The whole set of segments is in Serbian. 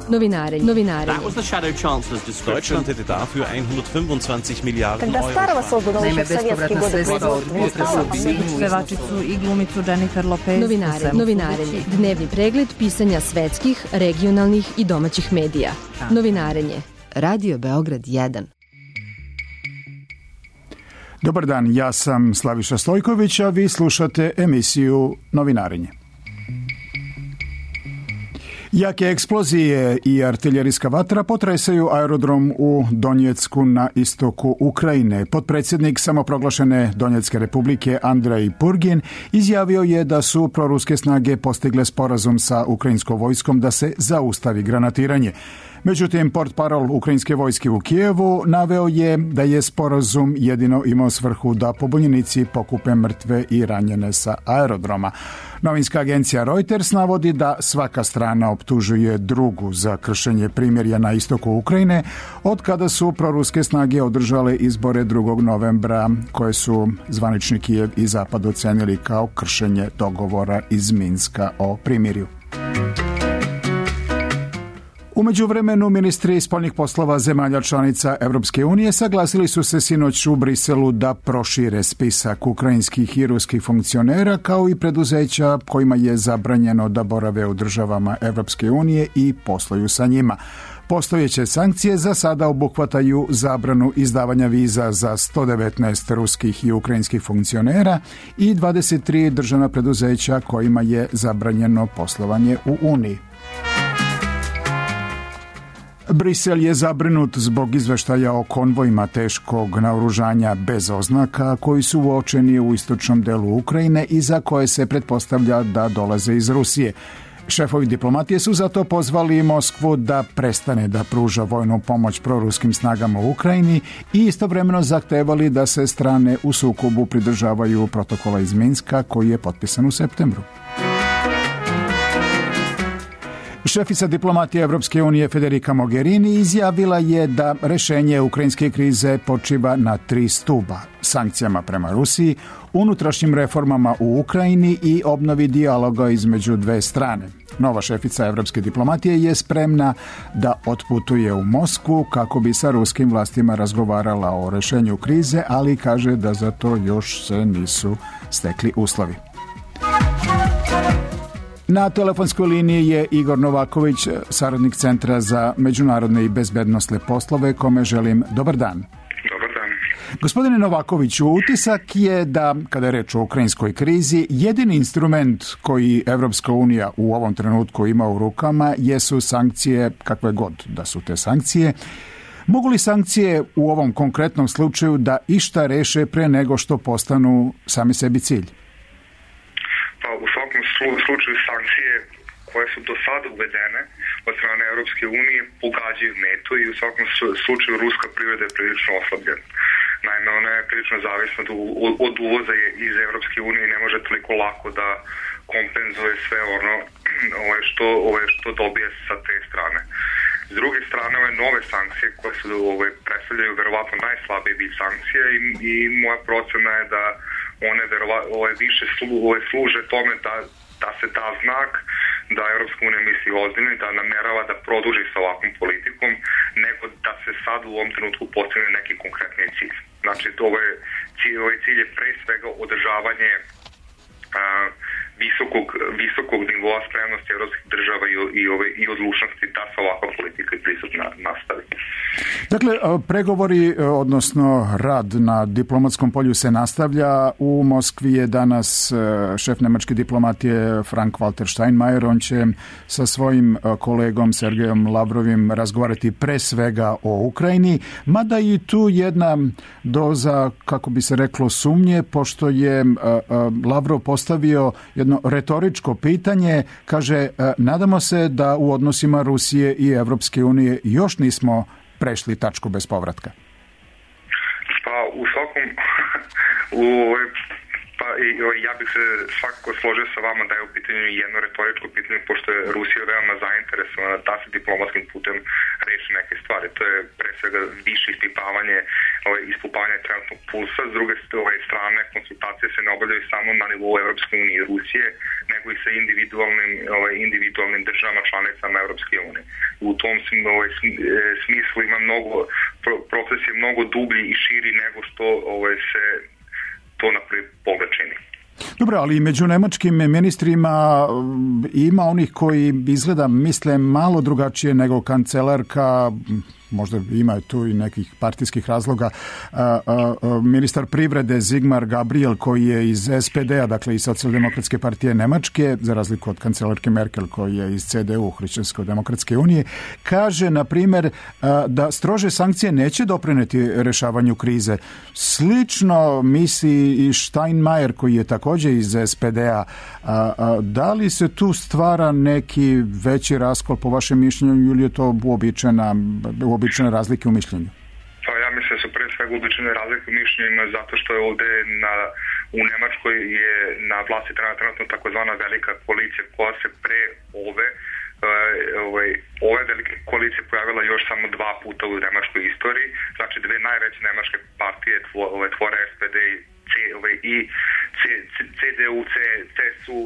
Novinarenje. That was the Shadow Chancellor's description. Deutschland hätte dafür 125 Miliarden Когда Euro. Старого создан Naime, еще в советские bespovratna годы sredstva od производства, pevačicu i glumicu Jennifer Lopez. Novinarenje. Dnevni pregled pisanja svetskih, regionalnih i domaćih medija. Novinarenje. Radio Beograd 1. Dobar dan, ja sam Slaviša Stojković, a vi slušate emisiju Novinarenje. Jake eksplozije i artiljerijska vatra potresaju aerodrom u Donjecku na istoku Ukrajine. Potpredsjednik samoproglašene Donjecke republike Andrej Purgin izjavio je da su proruske snage postigle sporazum sa ukrajinskom vojskom da se zaustavi granatiranje. Međutim, portparol ukrajinske vojske u Kijevu naveo je da je sporazum jedino imao svrhu da pobunjenici pokupe mrtve i ranjene sa aerodroma. Novinska agencija Reuters navodi da svaka strana optužuje drugu za kršenje primirja na istoku Ukrajine od kada su proruske snage održale izbore 2. novembra koje su zvanični Kijev i Zapad ocenili kao kršenje dogovora iz Minska o primirju. U međuvremenu ministri spoljnih poslova zemalja članica Europske unije saglasili su se sinoć u Briselu da prošire spisak ukrajinskih i ruskih funkcionera kao i preduzeća kojima je zabranjeno da borave u državama Europske unije i posluju sa njima. Postojeće sankcije za sada obuhvataju zabranu izdavanja viza za 119 ruskih i ukrajinskih funkcionera i 23 državna preduzeća kojima je zabranjeno poslovanje u Uniji. Brisel je zabrinut zbog izveštaja o konvojima teškog naoružanja bez oznaka koji su uočeni u istočnom delu Ukrajine i za koje se pretpostavlja da dolaze iz Rusije. Šefovi diplomatije su zato pozvali Moskvu da prestane da pruža vojnu pomoć proruskim snagama u Ukrajini i istovremeno zahtevali da se strane u sukobu pridržavaju protokola iz Minska koji je potpisan u septembru. Šefica diplomatije Evropske unije Federica Mogherini izjavila je da rešenje ukrajinske krize počiva na 3 stuba: sankcijama prema Rusiji, unutrašnjim reformama u Ukrajini i obnovi dijaloga između dve strane. Nova šefica evropske diplomatije je spremna da otputuje u Moskvu kako bi sa ruskim vlastima razgovarala o rešenju krize, ali kaže da za to još se nisu stekli uslovi. Na telefonskoj liniji je Igor Novaković, saradnik Centra za međunarodne i bezbednosne poslove, kome želim dobar dan. Dobar dan. Gospodine Novakoviću, utisak je da, kada je reč o ukrajinskoj krizi, jedini instrument koji Evropska unija u ovom trenutku ima u rukama jesu sankcije, kakve god da su te sankcije. Mogu li sankcije u ovom konkretnom slučaju da išta reše pre nego što postanu sami sebi cilj? U svakom slučaju sankcije koje su do sada uvedene od strane Europske unije pogađaju metu i u svakom slučaju ruska privreda je prilično oslabljena. Naime, ona je prilično zavisna od uvoza iz Europske unije i ne može toliko lako da kompenzuje sve ono što dobije sa te strane. S druge strane, ove nove sankcije koje su predstavljaju verovatno najslabiji vid sankcija i moja procena je da one više služe tome da se da znak da Europska unija misli ozbiljno i da namerava da produži sa ovakvom politikom, nego da se sad u ovom trenutku postigne neki konkretni cilj. Znači, ovaj cilj je pre svega održavanje visokog nivoa spremnosti evropskih država i odlučnosti da se ovakva politika i pristup nastavi. Dakle, pregovori, odnosno rad na diplomatskom polju se nastavlja. U Moskvi je danas šef nemačke diplomatije Frank-Walter Steinmeier. On će sa svojim kolegom Sergejom Lavrovim razgovarati pre svega o Ukrajini, mada i tu jedna doza, kako bi se reklo, sumnje, pošto je Lavrov postavio jedno retoričko pitanje, kaže, nadamo se da u odnosima Rusije i Evropske unije još nismo prešli tačku bez povratka. Pa u svakom ja bih se svakako složio sa vama da je u pitanju jedno retoričko pitanje, pošto je Rusija veoma zainteresovana da se diplomatskim putem reši neke stvari. To je pre svega više ispitavanje ispupavanja trenutnog pulsa. S druge strane, konsultacije se ne obavljaju samo na nivou Evropske unije i Rusije, nego i sa individualnim državama članicama Evropske unije. U tom smislu ima proces je mnogo dublji i širi nego što se to na prvi pogled čini. Dobro, ali među nemačkim ministrima ima onih koji izgleda misle malo drugačije nego kancelarka, možda ima tu i nekih partijskih razloga, ministar privrede Sigmar Gabriel koji je iz SPD-a, dakle iz Socijaldemokratske partije Nemačke, za razliku od kancelarke Merkel koji je iz CDU, Hrišćansko-demokratske unije, kaže, na primjer, da strože sankcije neće doprineti rešavanju krize. Slično misli i Steinmeier koji je također iz SPD-a. Da li se tu stvara neki veći raskol po vašem mišljenju ili je to uobičajene razlike u mišljenju? Pa ja mislim da su pre svega uobičajene razlike u mišljenjima zato što je ovde u Nemačkoj je na vlasti trenutno takozvana velika koalicija koja se pre ove velike koalicije pojavila još samo 2 puta u nemačkoj istoriji. Znači 2 najveće nemačke partije tvore SPD i CDU, CSU,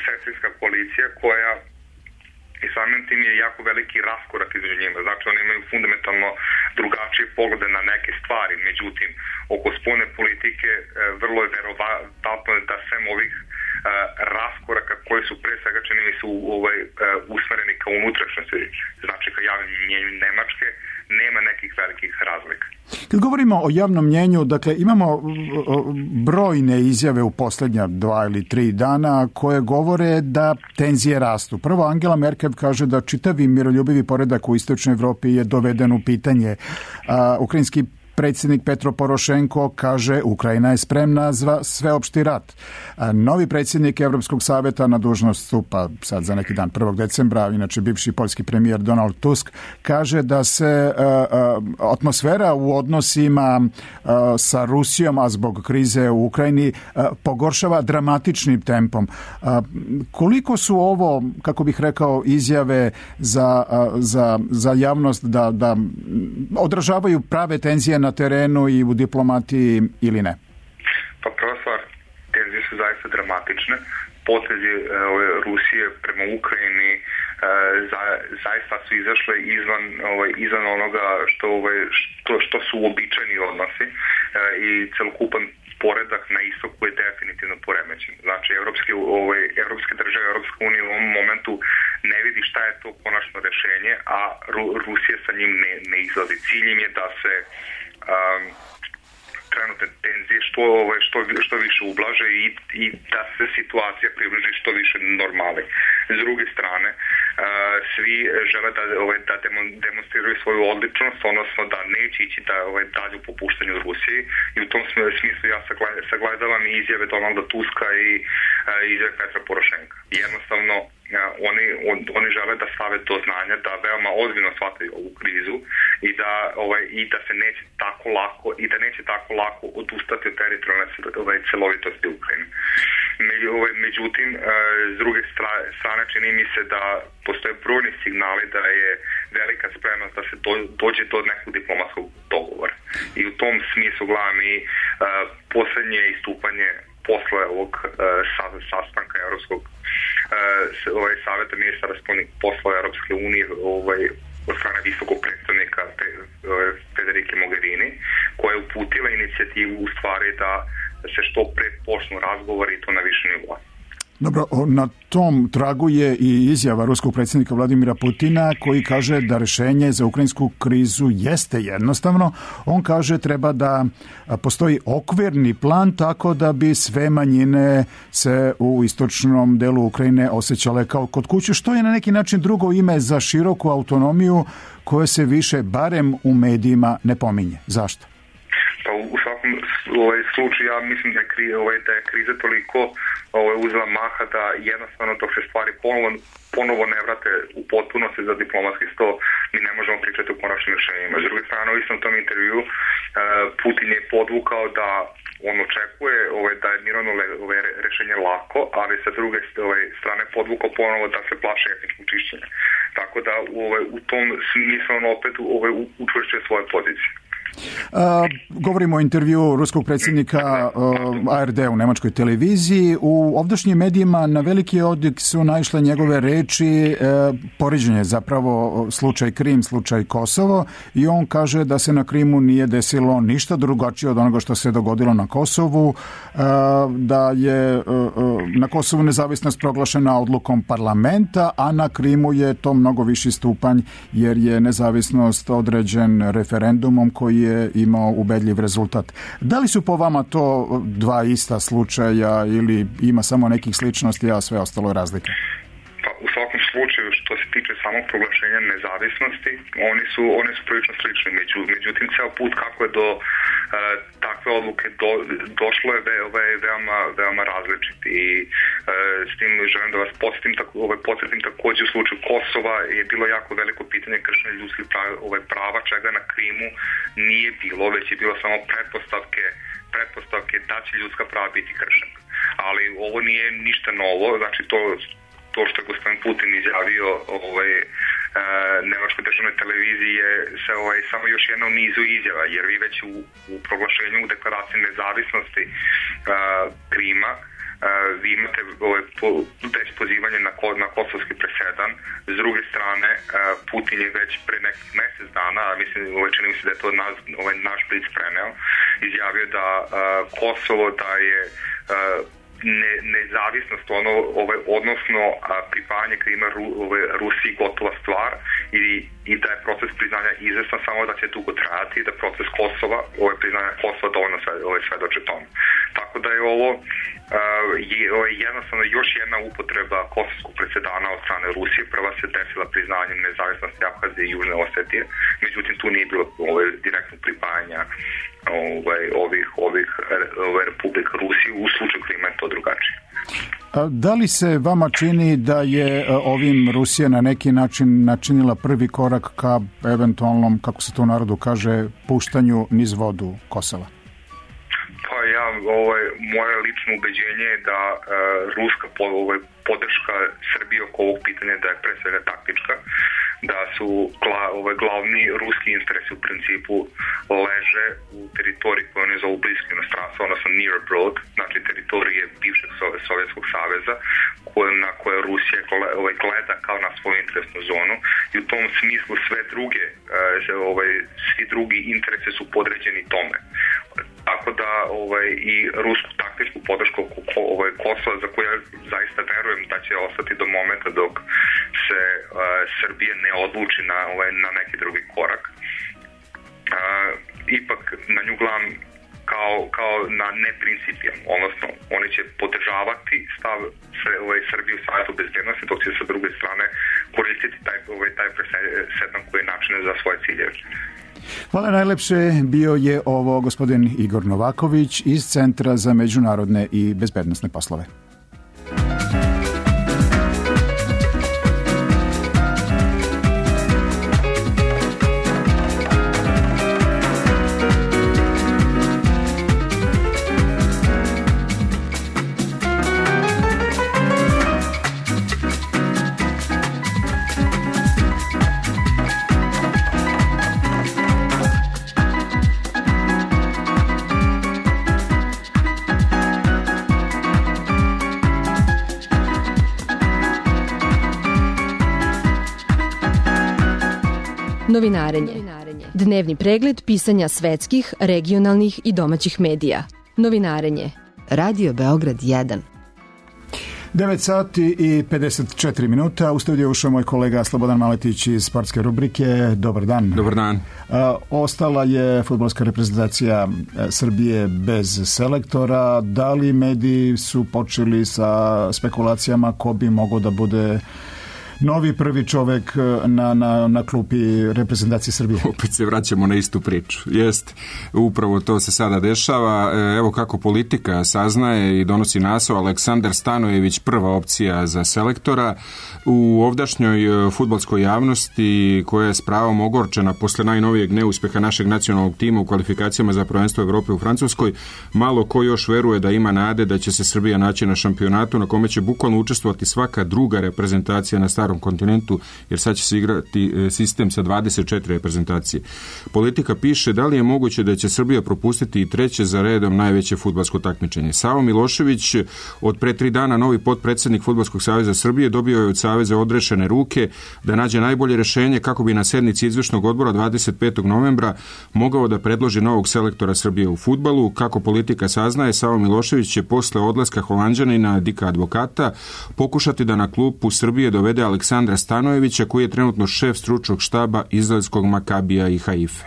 sestrinska koalicija koja i samim tim je jako veliki raskorak između njima. Znači oni imaju fundamentalno drugačije poglede na neke stvari. Međutim, oko spoljne politike vrlo je verovatno da sem ovih raskoraka koji su pre svega čini mi su usmereni ka unutrašnjosti, znači ka javnom mnjenju Nemačke, nema nekih velikih razlika. Kad govorimo o javnom mnjenju, dakle imamo brojne izjave u posljednja 2 ili 3 dana koje govore da tenzije rastu. Prvo, Angela Merkel kaže da čitavi miroljubivi poredak u istočnoj Evropi je doveden u pitanje. Ukrajinski predsjednik Petro Porošenko kaže Ukrajina je spremna za sveopšti rat. Novi predsjednik Europskog savjeta na dužnost stupa sad za neki dan 1. decembra, inače bivši poljski premijer Donald Tusk, kaže da se atmosfera u odnosima sa Rusijom, a zbog krize u Ukrajini, pogoršava dramatičnim tempom. Koliko su ovo, kako bih rekao, izjave za javnost da odražavaju prave tenzije na terenu i u diplomatiji ili ne? Pa prva stvar, tenzije su zaista dramatične. Potezi Rusije prema Ukrajini zaista su izašle izvan onoga što su uobičajeni odnosi i celokupan poredak na istoku je definitivno poremećen. Znači, evropske države, Evropska unija u ovom momentu ne vidi šta je to konačno rešenje, a Rusija sa njim ne izlazi. Cilj im je da se trenutne tenzije što više ublaže i da se situacija približi što više normali. S druge strane, svi žele da demonstriraju svoju odličnost, odnosno da neće ići dalje u popuštanju Rusiji i u tom smislu ja sagledavam i izjave Donalda Tuska i izjave Petra Porošenka. Jednostavno, oni žele da stave do znanja da veoma ozbiljno shvataju ovu krizu i da se neće tako lako odustati od teritorijalne celovitosti Ukrajine. Međutim, s druge strane čini mi se da postoje brojni signali da je velika spremnost da se dođe do nekog diplomatskog dogovora. I u tom smislu gledam i poslednje istupanje posle ovog sastanka Evropskog savjeta ministara spoljnih poslova Evropske unije od strane visokog predstavnika Federike Mogherini, koja je uputila inicijativu u stvari da se što pre počnu razgovori i to na više nivoa. Dobro, na tom tragu je i izjava ruskog predsjednika Vladimira Putina koji kaže da rešenje za ukrajinsku krizu jeste jednostavno. On kaže treba da postoji okvirni plan tako da bi sve manjine se u istočnom delu Ukrajine osjećale kao kod kuće, što je na neki način drugo ime za široku autonomiju koje se više, barem u medijima, ne pominje. Zašto? Pa u svakom slučaju ja mislim da je kriza toliko uzela maha da jednostavno dok se stvari ponovo ne vrate u potpunosti za diplomatski sto, mi ne možemo pričati o konačnim rješenjima. S druge strane, u istom tom intervju Putin je podvukao da on očekuje da je mirovno rešenje lako, ali sa druge strane podvukao ponovo da se plaše etničkog čišćenja. Tako da u tom smislu on opet učvršćuje svoje pozicije. Govorimo o intervju ruskog predsjednika ARD u nemačkoj televiziji. U ovdašnjim medijima na veliki odjek su naišle njegove reči, poređenje zapravo slučaj Krim, slučaj Kosovo, i on kaže da se na Krimu nije desilo ništa drugačije od onoga što se dogodilo na Kosovu, da je na Kosovu nezavisnost proglašena odlukom parlamenta, a na Krimu je to mnogo viši stupanj jer je nezavisnost određen referendumom koji je imao ubedljiv rezultat. Da li su po vama to dva ista slučaja ili ima samo nekih sličnosti, a sve ostalo je razlike? Pa, u svakom slučaju, što se tiče samog proglašenja nezavisnosti, oni su prilično slični. Međutim, ceo put kako je do takve odluke došlo je veoma različit. I s tim želim da vas podsjetim takođe u slučaju Kosova je bilo jako veliko pitanje kršenja ljudskih prava, čega na Krimu nije bilo, već je bilo samo pretpostavke da će ljudska prava biti kršena. Ali ovo nije ništa novo, znači to što je gospodin Putin izjavio nemačkoj državnoj televiziji je samo još jedna u nizu izjava, jer vi već u proglašenju u deklaraciji nezavisnosti Krima vi imate već pozivanje na kosovski presedan. S druge strane, Putin je već pre nekih mesec dana, mislim, čini mi se da je to naš Blic preneo, izjavio da Kosovo da je nezavisnost, odnosno pripajanje Krima Rusiji gotova stvar i da je proces priznanja izvestan, samo da će dugo trajati i da proces Kosova, priznanja Kosova dovoljno svedoče tome. Tako da je ovo jednostavno još jedna upotreba kosovskog presedana od strane Rusije. Prva se desila priznanjem nezavisnosti Abhazije i Južne Osetije, međutim tu nije bilo direktnog pripajanja ovih republika Rusije. U slučaju Krima je to drugačije. Da li se vama čini da je ovim Rusija na neki način načinila prvi korak ka eventualnom, kako se to u narodu kaže, puštanju niz vodu Kosova? Pa moje lično ubeđenje je da ruska podrška Srbije oko ovog pitanja da je pre svega taktička, da su glavni ruski interesi u principu leže u teritoriji koju oni zovu blisko inostranstvo, odnosno near abroad, znači teritorije bivšeg Sovjetskog saveza na koje Rusija gleda kao na svoju interesnu zonu, i u tom smislu svi drugi interesi su podređeni tome. Tako da i rusku taktičku podršku Kosova, za koju ja zaista verujem da će ostati do momenta dok se Srbije ne odluči na neki drugi korak. Ipak na nju gledam kao na neprincipijalno, odnosno oni će podržavati stav Srbije u Savetu bezbednosti, dok će sa druge strane koristiti taj presedan koji je načinjen za svoje ciljeve. Hvala najlepše. Bio je ovo gospodin Igor Novaković iz Centra za međunarodne i bezbednosne poslove. Novinarenje. Dnevni pregled pisanja svetskih, regionalnih i domaćih medija. Novinarenje. Radio Beograd 1. 9 sati i 54 minuta. U studiju ušao moj kolega Slobodan Maletić iz sportske rubrike. Dobar dan. Dobar dan. Ostala je fudbalska reprezentacija Srbije bez selektora. Da li mediji su počeli sa spekulacijama ko bi mogao da bude novi prvi čovek na klupi reprezentacije Srbije? Opet se vraćamo na istu priču. Jest, upravo to se sada dešava. Evo kako politika saznaje i donosi naslov: Aleksandar Stanojević prva opcija za selektora. U ovdašnjoj fudbalskoj javnosti, koja je s pravom ogorčena posle najnovijeg neuspeha našeg nacionalnog tima u kvalifikacijama za prvenstvo Evrope u Francuskoj, malo ko još veruje da ima nade da će se Srbija naći na šampionatu na kome će bukvalno učestvovati svaka druga reprezentacija na stadionu starom kontinentu, jer sad će se igrati sistem sa 24 reprezentacije. Politika piše da li je moguće da će Srbija propustiti i treće za redom najveće fudbalsko takmičenje. Savo Milošević, od pre 3 dana novi potpredsjednik Fudbalskog saveza Srbije, dobio je od saveza odrešene ruke da nađe najbolje rješenje kako bi na sednici izvršnog odbora 25. novembra mogao da predloži novog selektora Srbije u fudbalu. Kako Politika saznaje, Savo Milošević će posle odlaska Holanđanina Dika Advokata pokušati da na klupu Srbije dovede Aleksandra Stanojevića, koji je trenutno šef stručnog štaba izraelskog Makabija i Haife.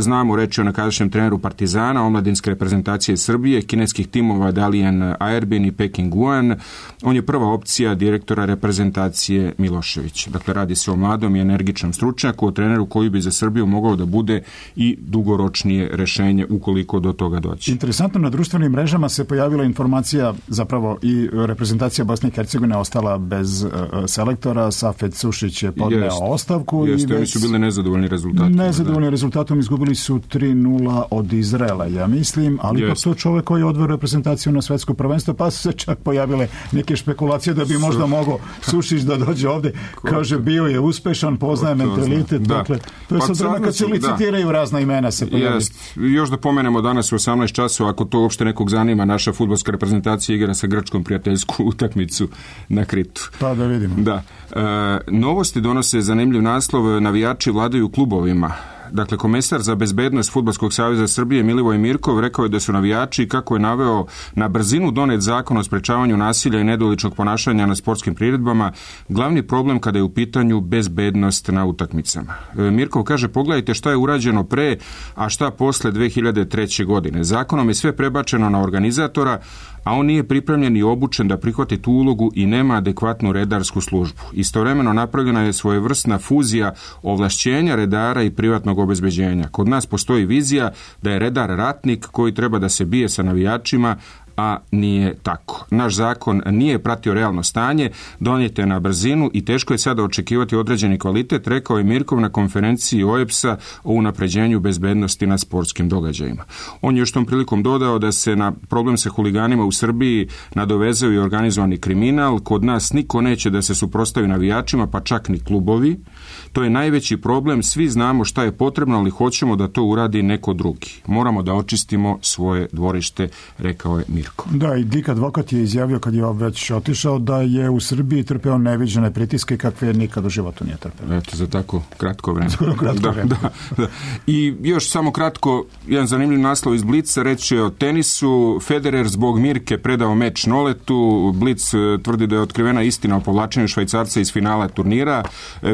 Znamo reći o nekadašnjem treneru Partizana, omladinske reprezentacije Srbije, kineskih timova Dalian Aerbin i Peking Guan. On je prva opcija direktora reprezentacije Milošević. Dakle, radi se o mladom i energičnom stručnjaku, o treneru koji bi za Srbiju mogao da bude i dugoročnije rešenje ukoliko do toga doći. Interesantno, na društvenim mrežama se pojavila informacija, zapravo i reprezentacija Bosne i Hercegovine ostala bez selektora. Safet Sušić je podneo ostavku. Jeste, oni su bili nezadovoljni rezultatom. Nezadovoljni rezultatom, izgubili su 3-0 od Izraela, ja mislim, ali ipak to čovjek koji je odveo reprezentaciju na svetsko prvenstvo, pa su se čak pojavile neke špekulacije da bi možda mogao Sušić da dođe ovde. Kaže, bio je uspešan, poznaje mentalitet. Dakle, to je sad vreme kad se licitiraju razna imena se pojavljaju. Još da pomenemo danas u 18 časova, ako to uopšte nekog zanima, naša fudbalska reprezentacija igra sa Grčkom prijateljsku utakmicu na Kritu. Pa da vidimo. Da. Novosti donose zanimljiv naslov: navijači vladaju klubovima. Dakle, komesar za bezbednost Fudbalskog saveza Srbije Milivoj Mirkov rekao je da su navijači, kako je naveo, na brzinu donet zakon o sprečavanju nasilja i nedoličnog ponašanja na sportskim priredbama glavni problem kada je u pitanju bezbednost na utakmicama. Mirkov kaže, pogledajte šta je urađeno pre, a šta posle 2003. godine. Zakonom je sve prebačeno na organizatora, a on nije pripremljen i obučen da prihvati tu ulogu i nema adekvatnu redarsku službu. Istovremeno napravljena je svojevrsna fuzija ovlašćenja redara i privatnog obezbeđenja. Kod nas postoji vizija da je redar ratnik koji treba da se bije sa navijačima, a nije tako. Naš zakon nije pratio realno stanje, donijet je na brzinu i teško je sada očekivati određeni kvalitet, rekao je Mirkov na konferenciji OEBS-a o unapređenju bezbednosti na sportskim događajima. On je još tom prilikom dodao da se na problem sa huliganima u Srbiji nadovezao i organizovani kriminal. Kod nas niko neće da se suprotstavi navijačima, pa čak ni klubovi. To je najveći problem, svi znamo šta je potrebno, ali hoćemo da to uradi neko drugi. Moramo da očistimo svoje dvorište, rekao je Mirkov. Da, i Dik Advokat je izjavio kad je već otišao da je u Srbiji trpeo neviđene pritiske kakve nikad u životu nije trpeo. Eto, za tako kratko vreme. Da. I još samo kratko, jedan zanimljiv naslov iz Blica, reći o tenisu. Federer zbog Mirke predao meč Noletu. Blic tvrdi da je otkrivena istina o povlačenju Švajcarca iz finala turnira.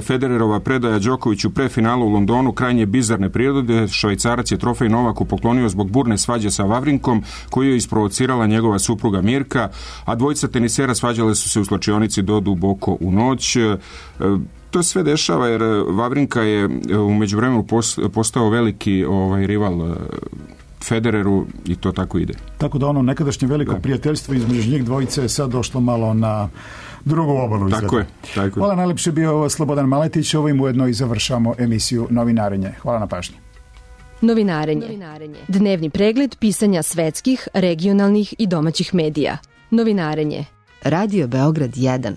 Federerova predaja Đokoviću pre finala u Londonu krajnje bizarne prirode. Švajcarac je trofej Novaku poklonio zbog burne svađe sa Vavrinkom, koju je isprovocirala njegova supruga Mirka, a dvojica tenisera svađale su se u slačionici do duboko u noć. To sve dešava jer Vavrinka je u međuvremenu postao veliki rival Federeru i to tako ide. Tako da ono nekadašnje veliko prijateljstvo između njih dvojice je sad došlo malo na drugu obalu. Tako je. Hvala, najlepše bio Slobodan Maletić. Ovim ujedno i završamo emisiju Novinarenje. Hvala na pažnji. Novinarenje. Dnevni pregled pisanja svetskih, regionalnih i domaćih medija. Novinarenje. Radio Beograd 1.